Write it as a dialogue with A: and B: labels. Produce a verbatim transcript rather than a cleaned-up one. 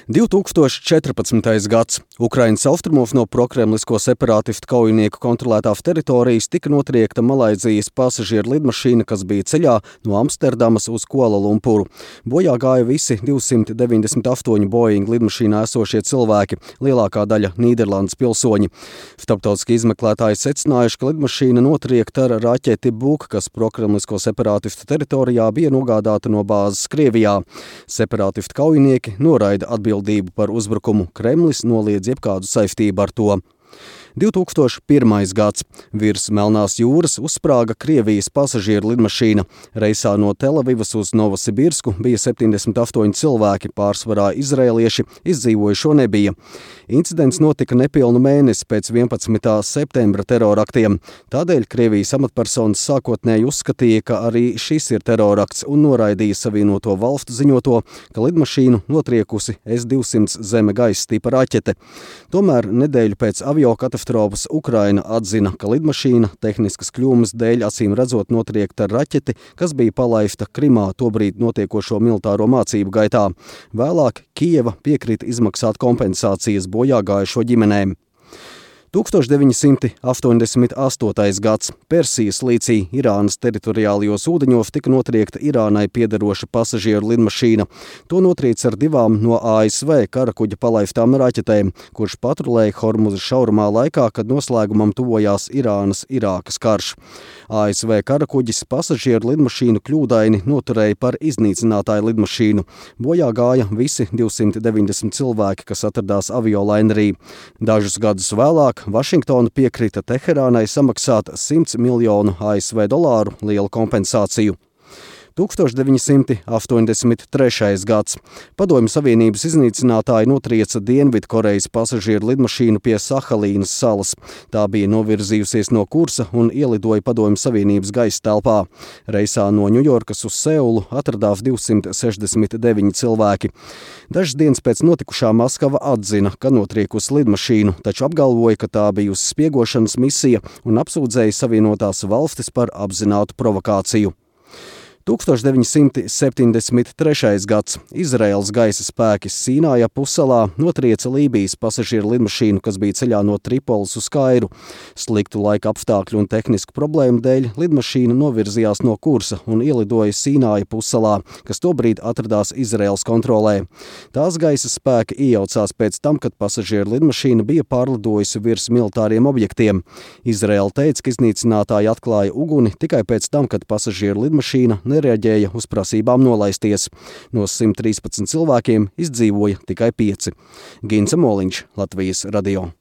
A: divtūkstoš četrpadsmitais gads. Ukrainas austrumos no prokremlisko separātistu kaujinieku kontrolētās teritorijas tika notriekta Malaizijas pasažieru lidmašīna, kas bija ceļā no Amsterdamas uz Kualalumpuru. Bojā gāja visi divsimt deviņdesmit astoņi Boeing lidmašīnā esošie cilvēki, lielākā daļa Nīderlandes pilsoņi. Starptautiskie izmeklētāji secinājuši, ka lidmašīna notriekta ar raķeti Buk, kas prokremlisko separātistu teritorijā bija nogādāta no bāzes Krievijā. Separātistu kaujinieki noraida atbildību par uzbrukumu, Kremlis noliedz jebkādu saistību ar to. divtūkstoš pirmais gads. Virs Melnās jūras uzsprāga Krievijas pasažieru lidmašīna. Reisā no Telavivas uz Novosibirsku bija septiņdesmit astoņi cilvēki, pārsvarā izraelieši, izdzīvojušo nebija. Incidents notika nepilnu mēnesi pēc vienpadsmitā septembra teroraktiem. Tādēļ Krievijas amatpersonas sākotnēji uzskatīja, ka arī šis ir terorakts un noraidīja Savienoto valstu ziņoto, ka lidmašīnu notriekusi S divsimt zeme gaisa tipa raķete. Tomēr nedēļu pēc aviokatastrofas Ukraina atzina, ka lidmašīna tehniskas kļūmes dēļ acīm redzot notriekta ar raķeti, kas bija palaista Krimā tobrīd notiekošo militāro mācību gaitā. Vēlāk Kijeva piekrita izmaksāt kompensācijas bojāgājušo ģimenēm. tūkstoš deviņi simti astoņdesmit astotais gads. Persijas līcī Irānas teritoriālajos ūdeņos tika notriekta Irānai piederoša pasažieru lidmašīna. To notrieca ar divām no A S V karakuģa palaistām raķetēm, kurš patrulēja Hormuza šaurumā laikā, kad noslēgumam tuvojās Irānas-Irākas karš. A S V karakuģis pasažieru lidmašīnu kļūdaini noturēja par iznīcinātāju lidmašīnu. Bojā gāja visi divsimt deviņdesmit cilvēki, kas atradās aviolainerī. Dažus gadus vēlāk Vašingtona piekrita Teherānai samaksāt simts miljonu A S V dolāru lielu kompensāciju. tūkstoš deviņi simti astoņdesmit trešais gads. Padomju Savienības iznīcinātāji notrieca Dienvidkorejas pasažieru lidmašīnu pie Sahalīnas salas. Tā bija novirzījusies no kursa un ielidoja Padomju Savienības gaisa telpā. Reisā no Ņujorkas uz Seulu atradās divsimt sešdesmit deviņi cilvēki. Dažas dienas pēc notikušā Maskava atzina, ka notriekusi lidmašīnu, taču apgalvoja, ka tā bijusi spiegošanas misija un apsūdzēja Savienotās valstis par apzinātu provokāciju. tūkstoš deviņi simti septiņdesmit trešais gads. Izraēlas gaisa spēki Sīnaja pussalā notrieca Lībijas pasažieru lidmašīnu, kas bija ceļā no Tripolis uz Kairu. Sliktu laika apstākļu un tehnisku problēmu dēļ lidmašīna novirzījās no kursa un ielidoja Sīnaja pussalā, kas tobrīd atradās Izraēlas kontrolē. Tās gaisa spēki iejaucās pēc tam, kad pasažieru lidmašīna bija pārlidojusi virs militāriem objektiem. Izraēla teica, ka iznīcinātāji atklāja uguni tikai pēc tam, kad pasažieru lidmašīna nereaģēja uz prasībām nolaisties. No simt trīspadsmit cilvēkiem izdzīvoja tikai pieci. Gince Moliņš, Latvijas radio.